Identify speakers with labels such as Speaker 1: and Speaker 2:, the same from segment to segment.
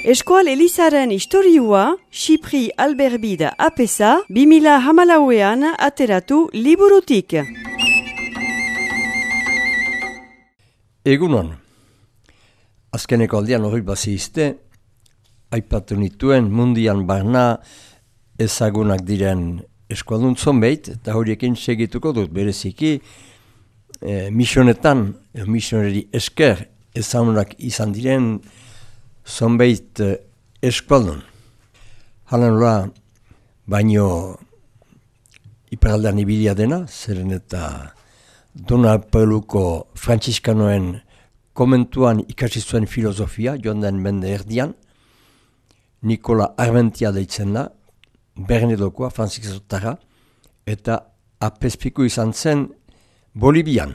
Speaker 1: Eskual Elizaren historiua, Xipri Alberbida apesa, 2014an ateratu liburutik.
Speaker 2: Egunon, azkeneko aldean hori bazizte, aipatu nituen mundian barna ezagunak diren eskualdun zonbeit, eta horiekin segituko dut bereziki, misionetan, misioneri esker ezagunak izan diren zonbeit eskualdun. Hala nola, baino iparaldean ibilia dena, zeren eta Donapoluko frantziskanoen komentuan ikasi zuen filosofia, joan den mende erdian, Nikola Armentia deitzen da, Bernedokoa, frantzisotara, eta apezpiku izan zen Bolibian.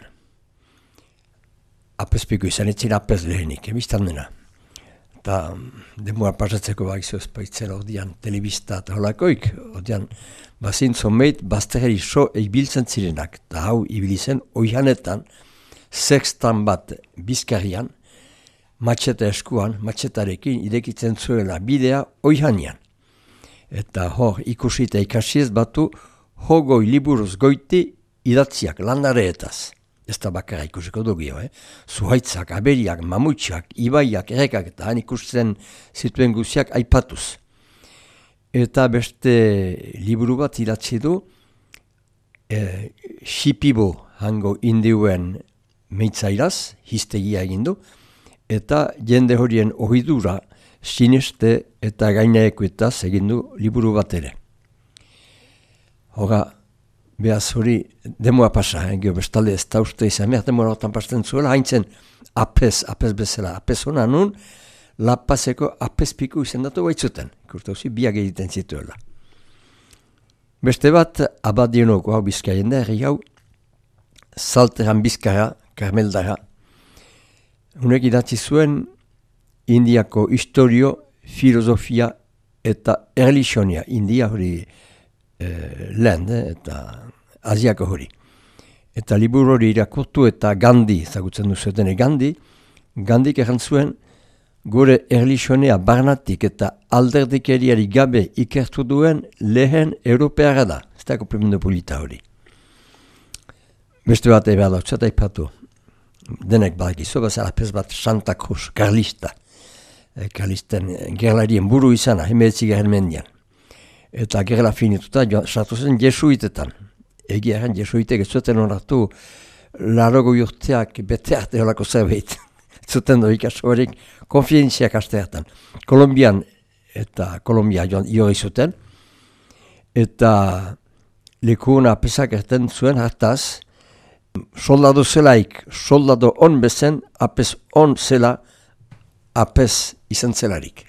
Speaker 2: Apezpiku izan etzira apez lehenik, biztan dena. Eta demora pasatzeko baizu ezpaitzen ordean telebista eta holakoik, ordean bazin zonbeit bazterri so ibiltzen zirenak, eta hau ibilizen oihanetan, sextan bat bizkarrian, matxeta eskuan, matxetarekin irekitzen zuela bidea oihanian. Eta hor ikusi eta ikasiez batu hogoi liburuz goiti idatziak landareetaz. Ez da bakarra ikusiko dugio, Zuhaitzak, aberiak, mamutxak, ibaiak, errekak eta han ikusten zituen guziak aipatuz. Eta beste liburu bat idatzi du, Xipibo hango indiuen meitzairaz, hiztegia egin du, eta jende horien ohidura sineste eta gainaekuetaz egin du liburu bat ere. Hora, behaz hori demoa pasa, gero bestalde ez da uste izan behar demora hortan pasten zuela, haintzen apez bezala, apez hona nun, lapazeko apezpiku izendatu baitzuten, ikurta huzi biak egiten zituela. Beste bat, abadionoko hau Bizkaien da, herri hau, Zalteran Bizkara, Karmeldara, hunek idatzi zuen Indiako historio, filosofia eta erlijionia, India hori lehen eta Asiako hori. Eta liburu hori irakurtu eta Gandhi, ezagutzen duzuetene Gandhik errantzuen gure erlijionea barnatik eta alderdikeriari gabe ikertu duen lehen europeara da. Ez da komprimendu polita hori. Beste bat eba dautxat aipatu. Denek badakizu, bazara pez bat Santa Cruz, Karlista. Karlisten gerlarien buru izana, hemeretzi garen mendian. Eta gerla finituta, sartu zen jesuitetan. Egiaren jesuitek ez zuten onartu larogo urteak bete arte holako zerbait. Zuten do ikasorik konfientziak asteatan. Kolombian eta Kolombia jori zuten. Eta lekuna pesak erten zuen hartaz, soldado zelaik, soldado on bezen, apez on zela, apez izan zelarik.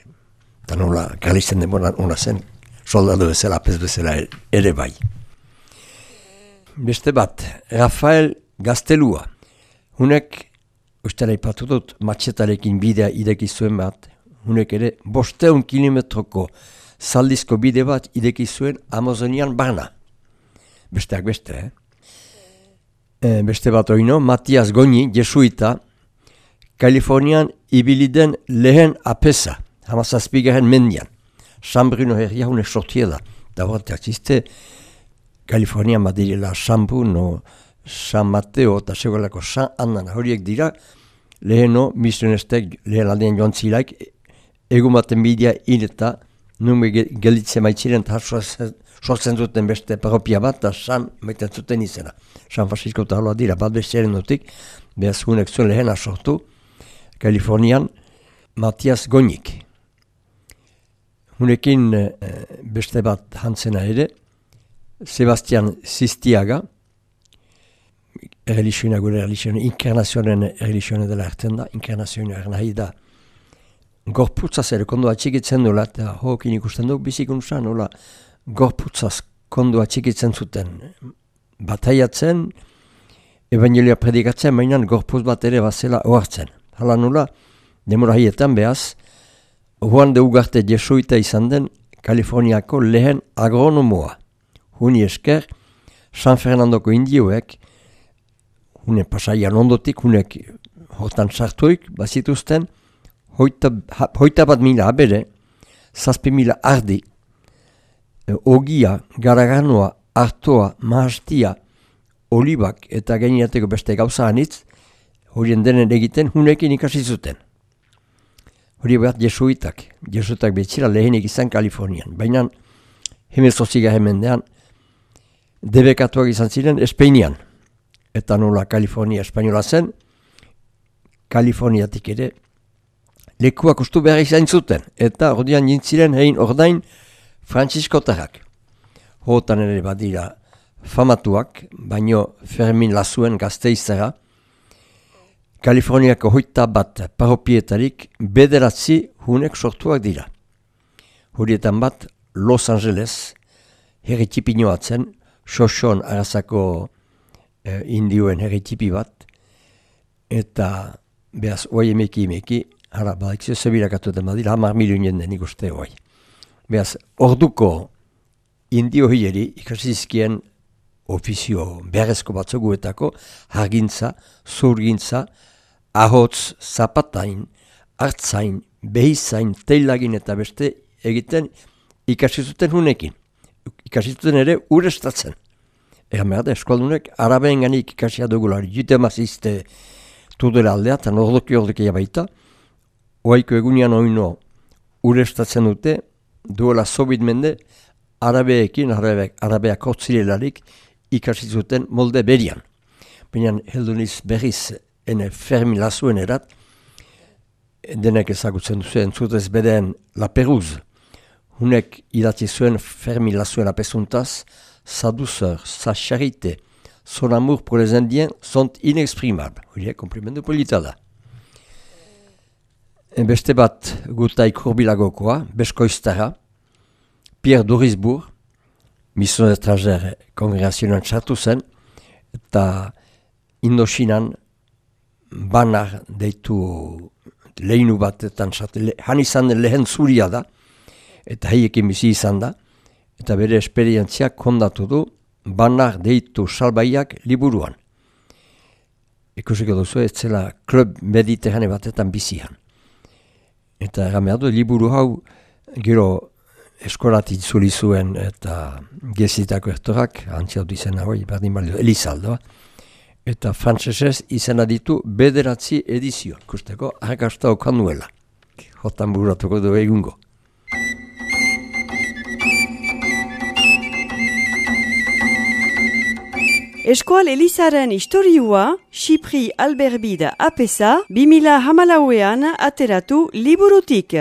Speaker 2: Eta nola, Karlisten demoran ona zen, soldado bezala, apez bezala ere bai. Beste bat, Rafael Gaztelua. Hunek, ustela ipatu dut, matxetarekin bidea ideki zuen bat, hunek ere 500 kilometroko zaldizko bide bat ideki zuen Amazonian barna. Besteak beste, Beste bat oino, Matias Goñi, jesuita, Kalifornian ibiliden lehen apesa, hamazazpigaren mendian. San Bruno herria hunek sortiela. Da horretak ziste, Kalifornian badirela San Bruno, San Mateo eta segolako San Annan horiek dira, leheno misionestek lehen aldean joan zilaik, egun baten bidea hil eta nume gelditzen maitziren eta sortzen zuten beste parropia bat, eta San maiten zuten izena. San Francisco eta hola dira, bat besteren dutik, behaz hunek zuen lehena sortu, Kalifornian, Matias Goñik. Hunekin beste bat hantzena ere, Sebastian Sistiaga, erlijioa gure erlijioa, inkarnazioaren erlijioa dela erten da, inkarnazioa nahi da, gorputzaz ere kondo atxikitzen duela, eta hokin ikusten du, bizikuntzan, hola, gorputzaz kondo atxikitzen zuten, bataiatzen, evangelia predikatzen, mainan gorputz bat ere bazela ohartzen. Hala nula, demora hietan behaz, Juan de Ugarte jesuita izan den Kaliforniako lehen agronomoa. Huni esker, San Fernandoko indioek, hune pasaian ondotik, hunek hortan sartuik, bazituzten, 1.000 abere, 7.000 ardi, ogia, garaganoa, artoa, mahastia, olibak eta gainateko beste gauza anitz, horien denen egiten hunekin ikasi zuten. Hori bat jesuitak betzira lehenik izan Kalifornian, baina hemezortziga hemendean debekatuak izan ziren Espainian. Eta nola Kalifornia espainola zen, Kaliforniatik ere lekuak ustu behar izan zuten, eta ordean jintziren hein ordain Frantziskotarrak. Hotan ere badira famatuak, baino Fermin Lasuen Gasteizera, Kaliforniako 21 paropietarik 9 hunek sortuak dira. Horietan bat Los Angeles, herritipinoatzen, Xoxon arazako indioen herritipi bat, eta behaz oai emeki, hara badakizio zebirakatuten badira, 10 milioen den ikuste oai. Behaz, orduko indio hileri ikasizkien ofizio beharrezko batzoguetako hargintza, zurgintza, ahotz, zapatain, hartzain, behizain, teilagin eta beste egiten ikasizuten hunekin. Ikasizuten ere urestatzen. Egan behar da, eskualdunek arabeen ganik ikasia dugulari. Jute mazizte tudela aldea, eta ordoki baita, oaiko egunian oino urestatzen dute, duela sobit mende, arabeekin, arabeak hotzilelarik ikasizuten molde berian. Baina helduniz berriz ene Fermin Lasuen erat, denek ezagutzen duzuen zutez bedeen La Peruz. Hunek idatzi zuen Fermin Lasuen apesuntaz, sa douceur, sa charité, son amour pour les Indiens sont inexprimables. Hori, komplimendu polita da. Beste bat gutaik hurbilagokoa, beskoiztara, Pierre Dorisbourg, mission étrangère kongregazionan txartu zen, eta Indochinan banar deitu lehinu batetan txartu, han izan den lehen zuria da, eta haiekin bizi izan da, eta bere esperientziak kondatu du banar deitu salbaiak liburuan. Ikusiko duzu ez zela klub mediterrane batetan bizian. Eta egan du, liburu hau gero eskolatik zuli zuen eta gezitako ertorak, antziatu izena hoi, berdin balio, Elizaldoa. Eta frantzesez izena ditu 9 edizio, ikusteko arrakasta okan duela. Jotan buratuko du egungo.
Speaker 1: Eskual Elizaren historiua, Xipri Alberbide apesa, 2014an ateratu liburutik.